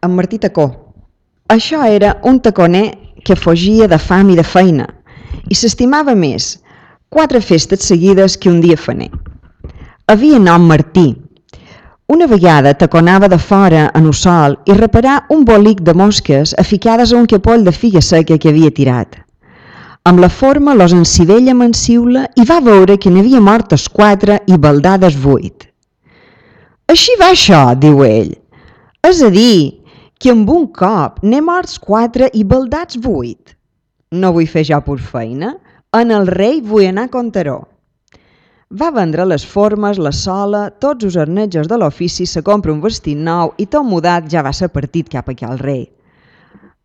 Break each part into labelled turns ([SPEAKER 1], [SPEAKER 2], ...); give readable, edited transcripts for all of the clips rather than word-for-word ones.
[SPEAKER 1] en Martí Tacó. Això era un taconer que fugia de fam i de feina i s'estimava més 4 festes seguides que un dia faner. Havia nom Martí. Una vegada taconava de fora en un sol i reparà un bolic de mosques aficades a un capoll de figa seca que havia tirat. Amb la forma los encivella mansiula i va veure que n'havia mortes 4 i baldades 8. «Així va això», diu ell. «És a dir, que amb un cop n'he morts 4 i baldats 8. No vull fer jo pur feina, en el rei vull anar a Contaró». Va vendre les formes, la sola, tots els arnetjos de l'ofici, se compra un vestit nou i tot mudat ja va ser partit cap aquí al rei.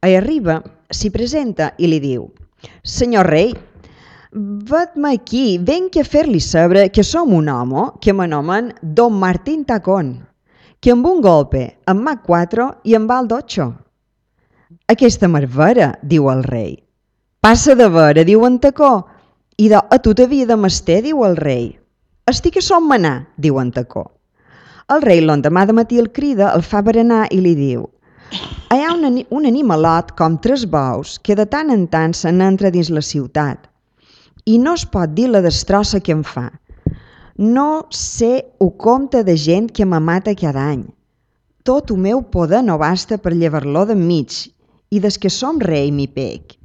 [SPEAKER 1] Ahí arriba, s'hi presenta i li diu: «Senyor rei, ved-me aquí, venc a fer-li saber que som un home que m'anomen Don Martín Tacón, que amb un golpe em mac 4 i em val 8. Aquesta marvera», diu el rei. «Passa de vera», diu en Tacó, «i a tu t'havia de mester», diu el rei. «Estic a son manar», diu en Tacó. El rei l'endemà de matí el crida, el fa berenar i li diu: «Hi ha un animalot com 3 bous que de tant en tant se n'entra dins la ciutat i no es pot dir la destrossa que em fa. No sé o compte de gent que me mata cada any. Tot el meu poder no basta per llevar-lo d'enmig i des que som rei m'hi pec.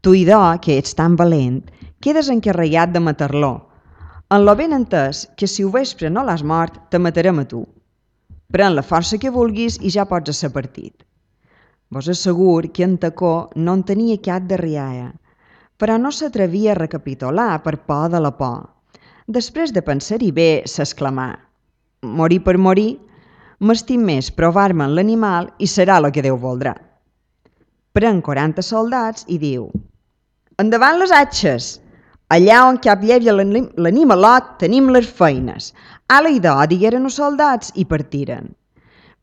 [SPEAKER 1] Tu, idò, que ets tan valent, quedes encarregat de matar-lo, en lo ben entès que si ho vespre no l'has mort, te matarem a tu. Pren la força que vulguis i ja pots ser partit». Vos assegur que en Tacó no en tenia cap de rialla, però no s'atrevia a recapitular per por de la por. Després de pensar-hi bé, s'exclamà: «Morir per morir, m'estim més provar-me en l'animal i serà el que Déu voldrà». Pren 40 soldats i diu: «Endavant les atxes! Allà on cap llevi l'animalot tenim les feines». «Ala idò», digueren els soldats i partiren.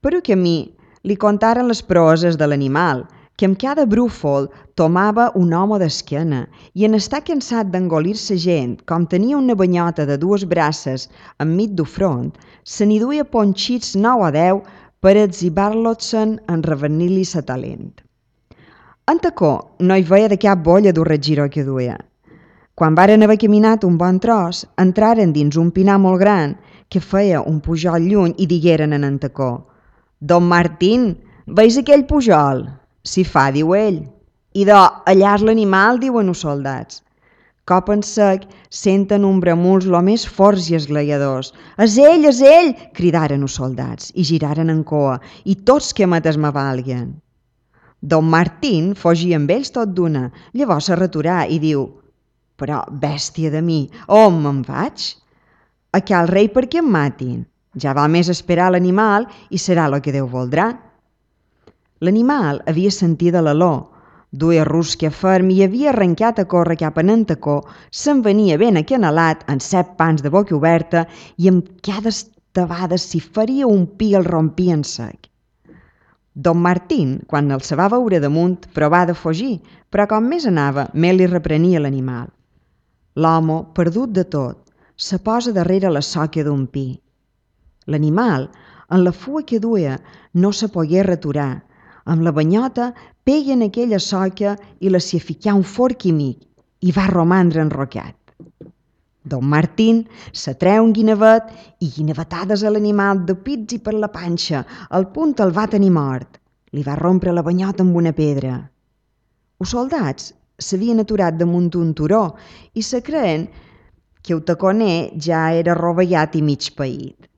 [SPEAKER 1] Per un camí li contaren les proeses de l'animal, que amb cada brúfol tomava un home d'esquena i en estar cansat d'engolir-se gent, com tenia una banyota de 2 braces enmig du front, se n'hi duia ponxits 9 o 10 per exhibar-los-se'n en revenir-li sa talent. En Tacó no hi veia de cap bolla dur giró que duia. Quan varen haver caminat un bon tros, entraren dins un pinar molt gran que feia un pujol lluny i digueren en Tacó: «Don Martín, veus aquell pujol?» «Si fa», diu ell. «Idò, allà és l'animal», diuen els soldats. Cop en sec senten un bramuls lo més forts i esglaiadors. «És ell, és ell!» cridaren els soldats i giraren en coa, i tots que mates me valguen. Don Martín fugia amb ells tot d'una, llavors se returà i diu: «Però, bèstia de mi, on me'n vaig? A cal rei perquè em matin. Ja val més esperar l'animal i serà el que Déu voldrà». L'animal havia sentit a l'aló, duia rusca ferm i havia arrencat a córrer cap a en Tacó, se'n venia ben acanalat, en 7 pans de boca oberta, i amb cada estabada s'hi faria un pi el rompia en sec. Don Martín, quan el se va veure damunt, provà de fugir, però com més anava, més li reprenia l'animal. L'home, perdut de tot, se posa darrere la soca d'un pi. L'animal, en la fua que duia, no se pogué returar. Amb la banyota pega en aquella soca i la s'hi ficà un forc amic i va romandre enrocat. Don Martín se treu un guinevet i guinevetades a l'animal de pits i per la panxa, al punt el va tenir mort. Li va rompre la banyota amb una pedra. Els soldats s'havien aturat damunt un turó i se creen que el taconer ja era rovellat i mig paït.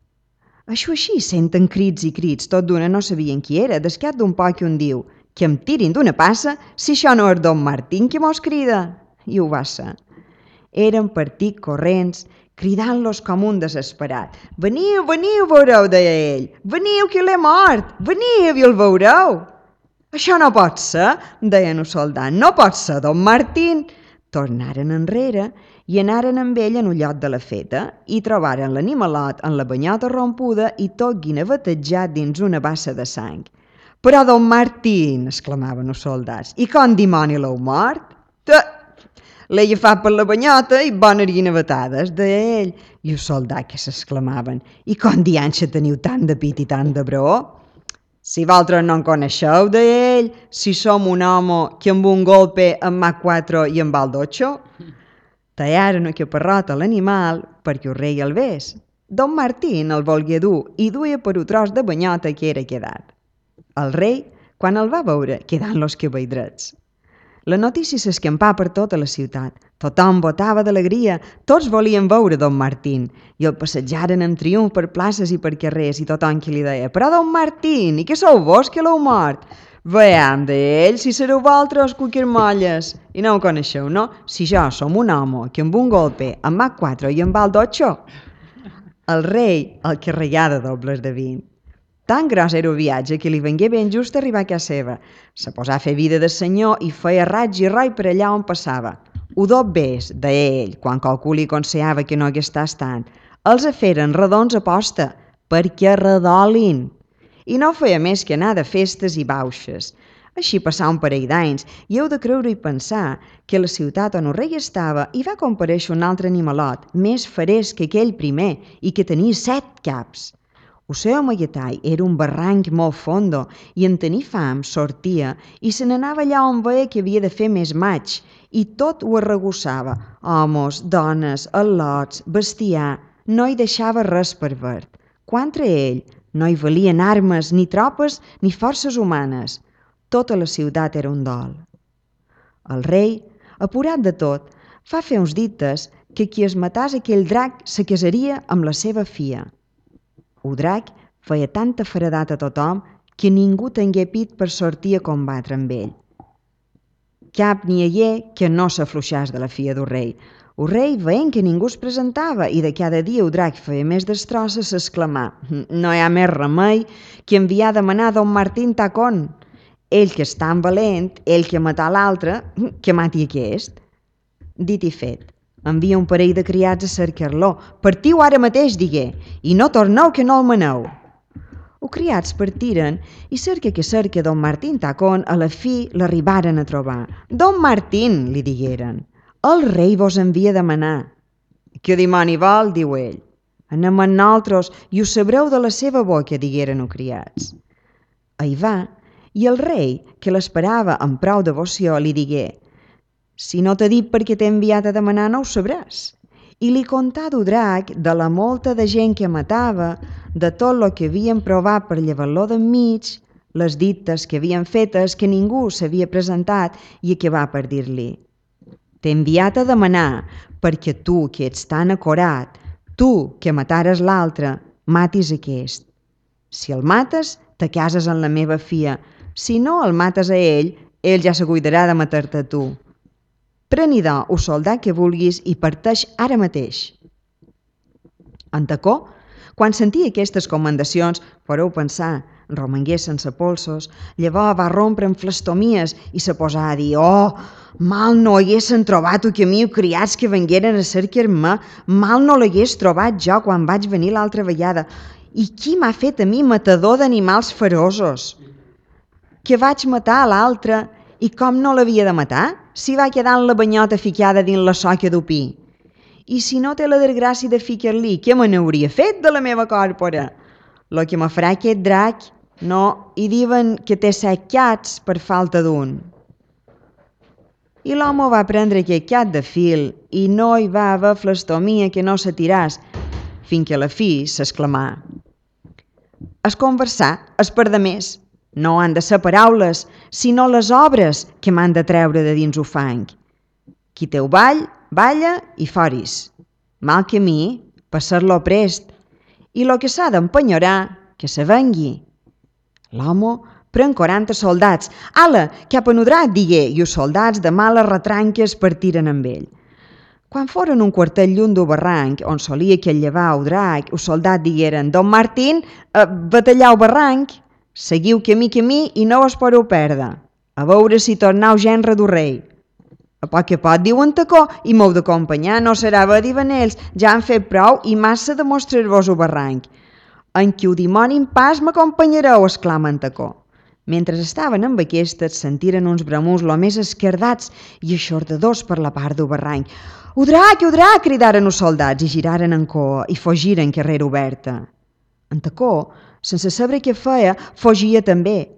[SPEAKER 1] Això així senten crits i crits, tot d'una no sabien qui era, descat d'un poc un diu: «Que em tirin d'una passa si això no és Don Martín que mos crida». I ho va ser. Eren partit corrents, cridant-los com un desesperat. «Veniu, veniu, veureu», deia ell. «Veniu, que l'he mort! Veniu i el veureu». «Això no pot ser», deien els soldats. «No pot ser, Don Martín». Tornaren enrere i anaren amb ell en un lloc de la feta i trobaren l'animalot en la banyota rompuda i tot guinevetejat dins una bassa de sang. «Però, Don Martín», exclamaven els soldats, «i com dimoni l'heu mort?» «L'he agafat per la banyota i bones guinevetades», deia ell. I els soldats que s'exclamaven: «I com dianxa teniu tant de pit i tant de braó?» Si vosaltres no en coneixeu d'ell, si som un home que amb un golpe en mà 4 i en val 8, tallaren una caparrota a l'animal perquè el rei el ves. Don Martín el volgué dur i duia per un tros de banyota que era quedat. El rei, quan el va veure, quedant los cabelldrets. La notícia s'escampà per tota la ciutat. Tothom botava d'alegria, tots volien veure Don Martín i el passejaren amb triomf per places i per carrers i tothom qui li deia «Però Don Martín, i què sou vos que l'heu mort?» «Veiem d'ell, si sereu vosaltres cuquirmolles i no ho coneixeu, no? Si jo som un home que amb un golpe em va 4 i em val 8». El rei el carregà de dobles de 20. Tan gros era el viatge que li vengué ben just arribar a casa seva. Se posà a fer vida de senyor i feia raig i roi per allà on passava. Ho dot bés, deia ell, quan qualcú li aconsellava que no hagués estat tant. Els feren redons a posta, perquè redolin. I no feia més que anar de festes i bauxes. Així passà un parell d'anys i heu de creure i pensar que a la ciutat on el rei estava hi va comparèixer un altre animalot, més ferès que aquell primer i que tenia 7 caps. El seu amaguetall era un barranc molt fondo i en tenir fam sortia i se n'anava allà on veia que havia de fer més maig i tot ho arregussava, homes, dones, al·lots, bestiar, no hi deixava res per verd. Contra ell no hi valien armes, ni tropes, ni forces humanes. Tota la ciutat era un dol. El rei, apurat de tot, fa fer uns dites que qui es matàs aquell drac se casaria amb la seva filla. El drac feia tanta feredat a tothom que ningú tingué pit per sortir a combatre amb ell. Cap n'hi hagué que no s'afluixàs de la filla del rei. El rei, veient que ningú es presentava i de cada dia el drac feia més destrosses, s'exclamà: «No hi ha més remei que enviar a demanar a Don Martín Tacón. Ell que és tan valent, ell que matà l'altre, que mati aquest». Dit i fet. Envia un parell de criats a cercar-lo. «Partiu ara mateix», digué, «i no torneu que no el maneu». Els criats partiren i cerca que cerca Don Martín Tacón a la fi l'arribaren a trobar. «Don Martín», li digueren, «el rei vos envia a demanar». «Què dimoni vol?», diu ell. «Anem amb nosaltres i ho sabreu de la seva boca», digueren els criats. Hi va, i el rei, que l'esperava amb prou devoció, li digué: «Si no t'he dit perquè t'he enviat a demanar, no ho sabràs». I li contà del drac, de la molta de gent que matava, de tot lo que havien provat per llevar-lo d'enmig, les dites que havien fetes que ningú s'havia presentat i acabà per dir-li: «T'he enviat a demanar perquè tu, que ets tan acorat, tu, que matares l'altre, matis aquest. Si el mates, te cases amb la meva filla. Si no el mates a ell ja se cuidarà de matar-te a tu. Pren-hi el soldat que vulguis i parteix ara mateix». En Tacó, quan sentia aquestes commandacions, podeu pensar, romangué sense polsos, llavors va rompre en flestomies i se posà a dir: «Oh, mal no haguessin trobat el camí els criats que vengueren a cercar-me, mal no l'hagués trobat jo quan vaig venir l'altra vegada. I qui m'ha fet a mi matador d'animals feroços? Que vaig matar a l'altre i com no l'havia de matar, si va quedar en la banyota ficada dins la soca d'opí? I si no té la desgràcia de ficar-li, què me n'hauria fet de la meva còrpora? Lo que me farà aquest drac, no, i diuen que té 7 cats per falta d'un». I l'home va prendre aquest cat de fil i no hi va haver flastomia que no s'atiràs, fins que a la fi s'exclamà: «Es conversar és per demés. No han de ser paraules, sinó les obres que m'han de treure de dins el fang. Qui té el ball, balla i foris. Mal camí, passar-lo prest. I lo que s'ha d'empenyorar, que se vengui». L'home pren 40 soldats. «Ala, cap a Nudrac», digué, i els soldats de males retranques partiren amb ell. Quan foren un quartet lluny del barranc, on solia que llevar el drac, els soldats digueren: «Don Martín, batallar el barranc. Seguiu camí i no us podeu perdre. A veure si tornau genre del rei». «A poc a poc», diu en Tacó, «i m'heu d'acompanyar, no serà bé dir venells, ja han fet prou i massa de mostrar-vos el barranc». «En qui el dimoni en pas m'acompanyareu», exclama en Tacó. Mentre estaven amb aquestes, sentiren uns bramuts lo més esquerdats i eixordadors per la part del barranc. «El drac, el drac!», cridaren els soldats i giraren en cua i fugiren carrera oberta. En Tacó sense saber què feia, fugia també.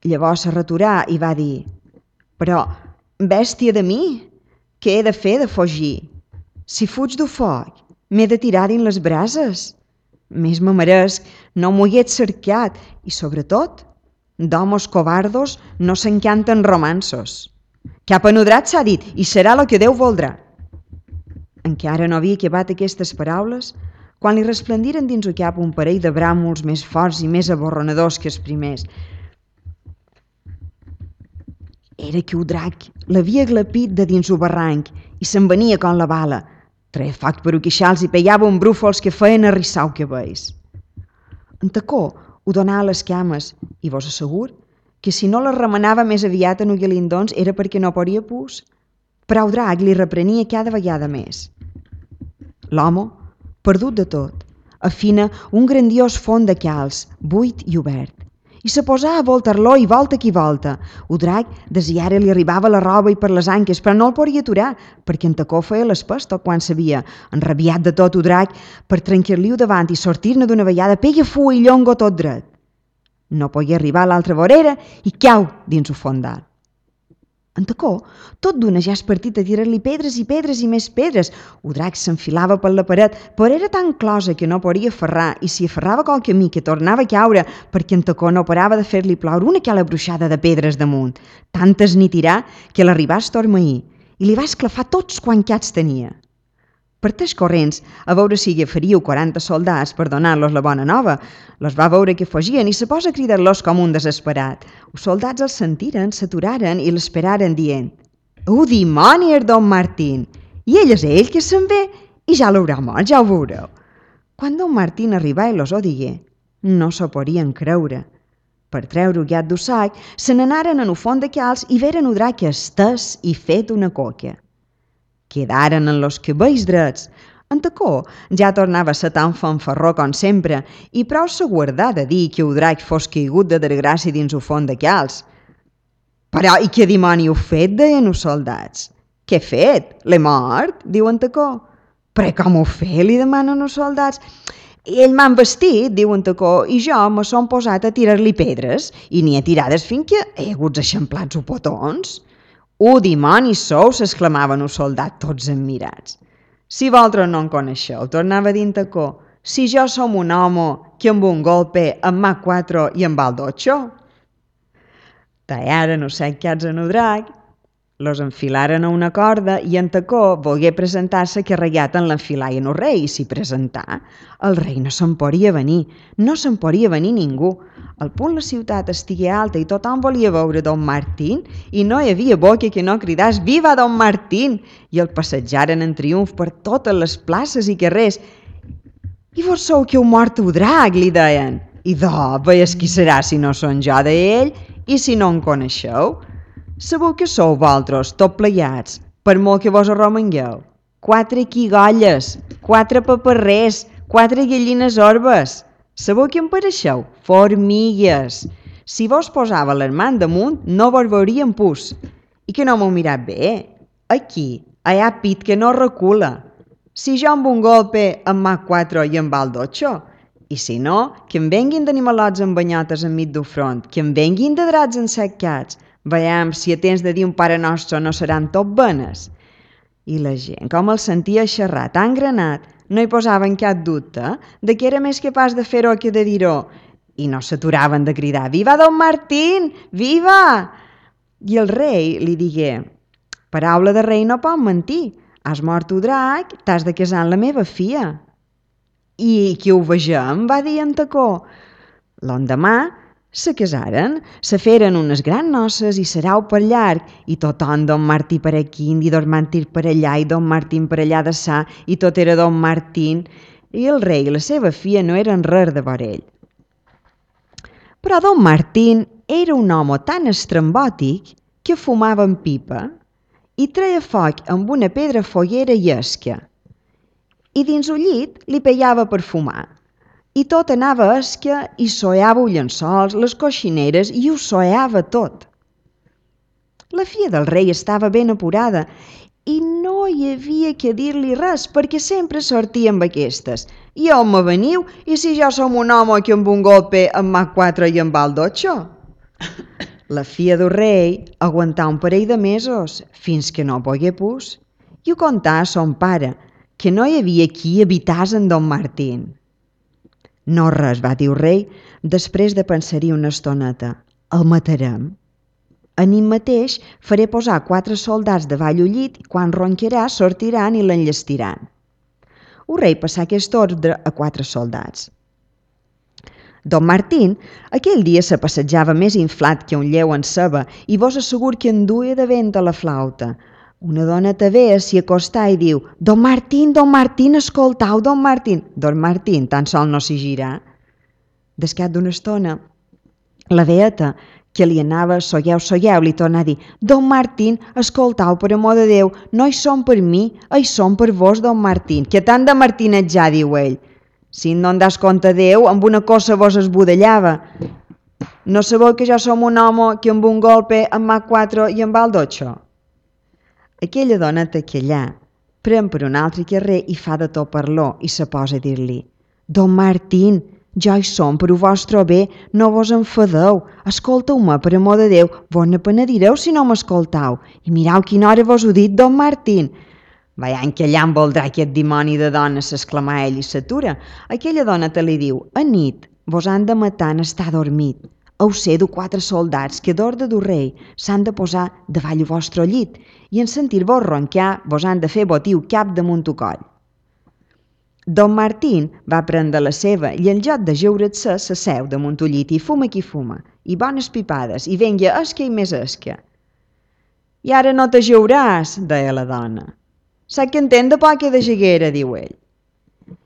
[SPEAKER 1] Llavors se returà i va dir: «Però, bèstia de mi, què he de fer de fugir? Si fuig du foc, m'he de tirar dins les brases. Més me meresc no m'ho hagués cercat i, sobretot, d'homes covardos no s'encanten romanços. Cap anudrat s'ha dit i serà el que Déu voldrà». Encara no havia acabat aquestes paraules quan li resplendiren dins el cap un parell de bràmols més forts i més aborronadors que els primers. Era que el drac l'havia glapit de dins el barranc i se'n venia com la bala. Treia foc per queixals i pegava un brúfols que feien arrissar el cabells. En Tacó ho donava a les cames i vos assegur que si no les remenava més aviat en Ugalindons era perquè no podia pus. Però el drac li reprenia cada vegada més. L'home, perdut de tot, afina un grandiós font de calç, buit i obert, i se posà a voltar-lo i volta qui volta. El drac desiara li arribava la roba i per les anques, però no el podia aturar, perquè en Tacó feia l'espesta quan sabia. Enrabiat de tot el drac, per trencar-li-ho davant i sortir-ne d'una vegada, pega fua i llongo tot dret. No podia arribar a l'altra vorera i cau dins el fondal. En Tacó, tot d'una ja es partit a tirar-li pedres i pedres i més pedres. El drac s'enfilava per la paret, però era tan closa que no podia aferrar, i si aferrava qual camí que tornava a caure, perquè en Tacó no parava de fer-li ploure una cala bruixada de pedres damunt. Tantes n'hi tirà que l'arribà a estormeir i li va esclafar tots quants cats tenia. Parteix corrents a veure si agafaríeu 40 soldats per donar-los la bona nova. Los va veure que fugien i se posa a cridar-los com un desesperat. Els soldats els sentiren, s'aturaren i l'esperaren dient: «Oh, dimoni, és don Martín! I ell és ell que se'n ve i ja l'haurà mort, ja ho veureu». Quan don Martín arribà i los ho digué, no s'ho podien creure. Per treure el gat del sac, se n'anaren en el font de calç i veren el drac estès i fet una coca. Quedaren en los cabells drets. En Tacó ja tornava a ser tan fanfarró com sempre i prou se guardà de dir que el drac fos caigut de desgràcia dins el font de calç. «Però i què dimoni heu fet?» deien els soldats. «Què he fet? L'he mort?» diu en Tacó. «Però com ho fet?» li demanen els soldats. «Ell m'han vestit», diu en Tacó, «i jo me son posat a tirar-li pedres i n'hi he tirades fins que he hagut eixamplats els botons». «Oh, dimoni sou!» s'exclamaven els soldats tots admirats. «Si vosaltres no en coneixeu», tornava a dir en Tacó, «si jo som un home que amb un golpe em mà 4 i em val 8. Tallaren els 7 cats en el drac, los enfilaren a una corda i en Tacó volgué presentar-se carregat en l'enfilar i en el rei, i s'hi presentà. El rei no se'n podia venir, no se'n podia venir ningú. Al punt la ciutat estigué alta i tothom volia veure don Martín i no hi havia boca que no cridàs «Viva don Martín!» i el passejaren en triomf per totes les places i carrers. «I vos sou que heu mort el drac», li deien. «I veies qui serà si no són jo d'ell i si no en coneixeu? Sabeu que sou vosaltres, tot plegats, per molt que vos arromangueu? 4 quigolles, 4 paparrers, 4 gallines orbes. Sabeu què em pareixeu? Formigues. Si vos posava les mans damunt, no vos veuríem pus. I que no m'heu mirat bé? Aquí, allà pit que no recula. Si jo amb un golpe em mà 4 i em val 8, i si no, que em venguin d'animalots amb banyotes enmig del front, que em venguin de drats enseccats. Veiem si a temps de dir un Pare Nostre no seran tot benes». I la gent, com el sentia xerrar tan granat, no hi posaven cap dubte de que era més capaç de fer-ho que de dir-ho, i no s'aturaven de cridar «Viva don Martín! Viva!». I el rei li digué: «Paraula de rei no pot mentir. Has mort el drac, t'has de casar amb la meva filla». «I que ho vegem», va dir en Tacó. L'endemà se casaren, se feren unes grans noces i serau per llarg, i tothom don Martí per aquí i don Martí per allà i don Martín per allà de sa, i tot era don Martín, i el rei i la seva filla no eren res de veure ell. Però don Martín era un home tan estrambòtic que fumava en pipa i treia foc amb una pedra foguera llesca, i dins el llit li peiava per fumar. I tot anava esca i soeava els llençols, les coixineres, i ho soeava tot. La filla del rei estava ben apurada i no hi havia que dir-li res perquè sempre sortia amb aquestes. I on me veniu? I si jo som un home que amb un golpe em mà quatre i em va al dotxo? La filla del rei aguantà un parell de mesos fins que no pogué pus i ho contà a son pare, que no hi havia qui habitàs en Don Martín. No res, va dir el rei, després de pensar-hi una estoneta. El matarem. Anim mateix faré posar 4 soldats davall el llit i quan ronquerà sortiran i l'enllestiran. El rei passà aquest ordre a 4 soldats. Don Martín aquell dia se passejava més inflat que un lleu en ceba i vos assegur que en duia de vent a la flauta. Una dona tavea s'hi acostà i diu: Don Martín, escoltau, Don Martín. Don Martín tan sol no s'hi girà. Descat d'una estona, la beata, que li anava solleu, li torna a dir: Don Martín, escoltau, per amor de Déu, no hi som per mi, hi som per vos, Don Martín, que tant de martinetjar, diu ell. Si no en das compte Déu, amb una cosa vos esbudellava. No sabeu que jo som un home que amb un golpe em mà 4 i em va al dotxo? Aquella dona t'aquellà, pren per un altre carrer i fa de tot parlor i se posa a dir-li: Don Martín, jo hi som per ho vostre bé, no vos enfadeu, escolteu-me, per amor de Déu, vos ne penedireu si no m'escoltau, i mirau quina hora vos ho dit, Don Martín. Veient que allà em voldrà aquest dimoni de dona, s'exclamà ell i s'atura. Aquella dona te li diu: a nit vos han de matar en estar dormit. Heu ser 4 soldats que d'ordre del rei s'han de posar davall el vostre llit i en sentir-vos roncar vos han de fer botiu cap damunt el coll. Don Martín va prendre la seva i en lloc de jeure-se s'asseu damunt el llit i fuma qui fuma, i bones pipades, i venga esca i més esca. I ara no t'ajeuràs, deia la dona. Sac que entén de poca de jeguera, diu ell.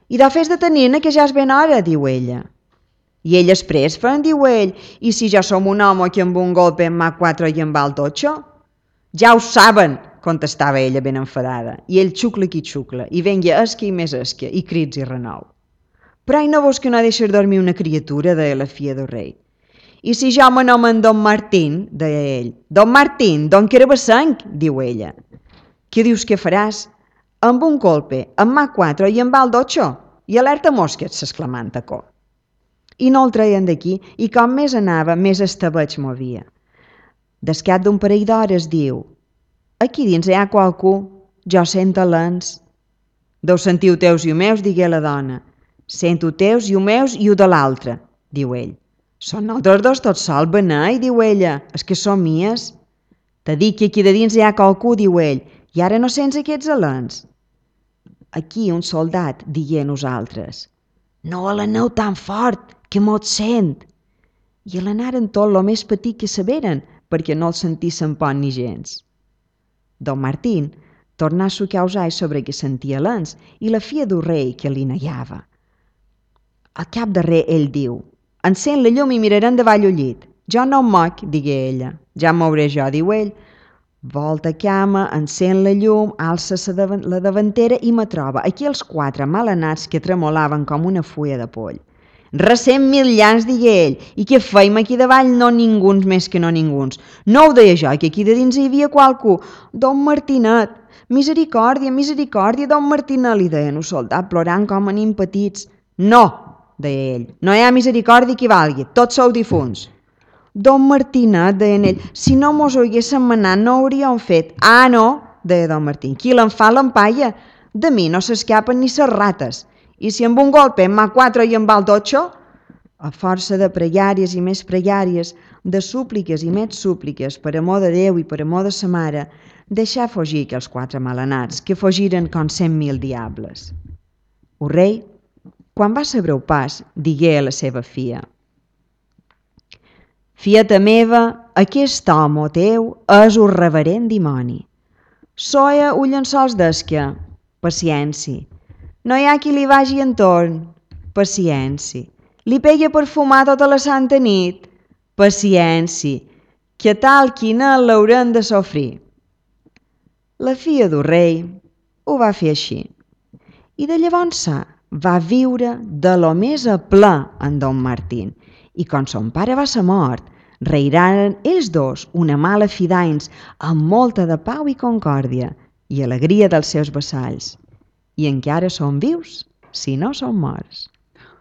[SPEAKER 1] I de fes de tenir-ne que ja és ben hora, diu ella. I ell després fan, diu ell, i si ja som un home que amb un golpe em mà 4 i em va al dotxo? Ja ho saben, contestava ella ben enfadada, i ell xucla qui xucla, i venga esca i més esca, i crits i renou. Però ai no vos que no deixes dormir una criatura, deia la filla del rei. I si jo m'anomen Don Martín, deia ell. Don Martín, Don Carabassenc, diu ella. Què dius que faràs? Amb un golpe, em mà 4 i em va al dotxo, i alerta mosques, s'exclamà en tacó. I no el treien d'aquí, i com més anava, més estabeig movia. Descat d'un parell d'hores diu: aquí dins hi ha qualcú, jo sento lents. Deu sentiu teus i o meus, digué la dona. Sento teus i o meus i o de l'altre, diu ell. Són nosaltres dos tot sol, benei, diu ella, és que són mies. Te dic que aquí de dins hi ha qualcú, diu ell, i ara no sents aquests alens. Aquí un soldat digué a nosaltres: no aleneu tan fort, que mos sent. I alenaren tot lo més petit que saberen, perquè no el sentissin por ni gens. Don Martín tornà a sucar els ais sobre que sentia lents i la filla del rei que li negava. Al cap darrer ell diu: encén la llum i mirarem davall el llit. Jo no em moc, digué ella. Ja em mouré jo, diu ell. Volta cama, encén la llum, alça la davantera i me troba aquí els 4 malanats que tremolaven com una fulla de poll. Recent 1000 llans, digué ell, i què feim aquí davall? No ninguns més que no ninguns. No ho deia jo, que aquí de dins hi havia qualcú. Don Martinet, misericòrdia, misericòrdia, Don Martinet, li deien el soldat, plorant com a nins petits. No, deia ell, no hi ha misericòrdia que valgui, tots sou difunts. Don Martinet, deien ell, si no mos ho haguéssim manat no ho hauríem fet. Ah, no, deia Don Martín, qui l'en fa l'empaia. De mi no s'escapen ni ses rates. I si amb un golpe em mà 4 i em va al dotxo? A força de pregàries i més pregàries, de súpliques i més súpliques, per amor de Déu i per amor de sa mare, deixà fugir aquells 4 malanats, que fugiren com 100.000 diables. El rei, quan va saber el pas, digué a la seva filla: fieta meva, aquest home teu és un reverent dimoni. Soia un llençols d'esca, paciència. No hi ha qui li vagi entorn, paciència. Li pega perfumar tota la santa nit, paciència. Que tal quina l'haurem de sofrir. La filla del rei ho va fer així. I de llavors va viure de lo més a ple en Don Martín. I quan son pare va ser mort, reiraren ells dos una mala fi d'anys amb molta de pau i concòrdia, i alegria dels seus vassalls, i encara són vius si no són morts.